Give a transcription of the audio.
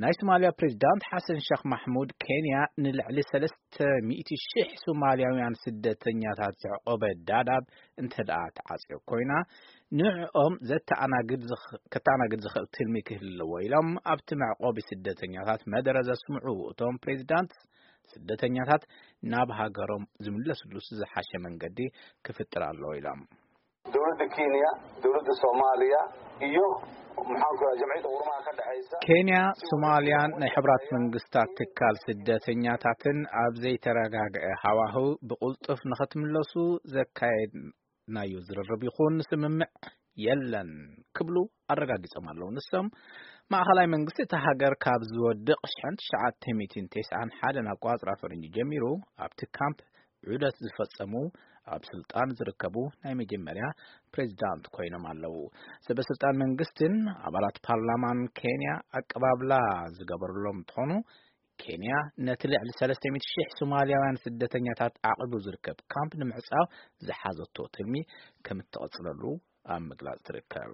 ናይ ሶማልያ ፕሬዚዳንት ሓሰን ሸኽ ማሕሙድ፣ ኬንያ ንልዕሊ ሰለስተ ሚእቲ ሺሕ ሶማልያውያን ስደተኛታት ዘዕቆበ ዳዳብ እንተ ደኣ ትዓጽዮ ኮይና፣ ንዕኦም ዘተኣናግድ ዝኽ-፣ ከተኣናግድ ዝኽእል ትልሚ ክህልዎ ኢሎም ኣብቲ መዕቆቢ ስደተኛታት መደረ ዘስምዑ እቶም ፕሬዚዳንት፣ ስደተኛታት ናብ ሃገሮም ዝምለስሉስ ዝሓሸ መንገዲ ክፍጥር ኣለዎ ኢሎም። Dowladda Kenya, dowladda Soomaaliya iyo maxaan ku jimciyada qurumaha ka dhexeysa. ኬንያ፣ ሶማልያን ናይ ሕብራት መንግስታት ትካል ስደተኛታትን ኣብ ዘይተረጋግአ ሃዋህው ብቕልጡፍ ንኽትምለሱ ዘካየድናዮ ዝርርብ ይኹን ስምምዕ የለን ክብሉ ኣረጋጊጾም ኣለዉ። ንሶም፣ ማእኸላይ መንግስቲ እቲ ሃገር ካብ ዝወድቕ ሽሕን ትሽዓተ ሚእትን ተስዓን ሓደን ኣቋጽራ ፈረንጂ ጀሚሩ ኣብቲ ካምፕ ዑደት ዝፈጸሙ ኣብ ስልጣን ዝርከቡ ናይ መጀመርያ ፕሬዚዳንት ኮይኖም ኣለዉ። ሰበ ስልጣን መንግስትን ኣባላት ፓርላማን ኬንያ ኣቀባብላ ዝገበርሎም እንትኾኑ፣ ኬንያ ነቲ ልዕሊ ሰለስተ ሚእቲ ሺሕ ሶማልያውያን ስደተኛታት ዓቒቡ ዝርከብ ካምፕ ንምዕጻው ዝሓዘቶ ትልሚ ከም እትቕጽለሉ ኣብ ምግላጽ ትርከብ።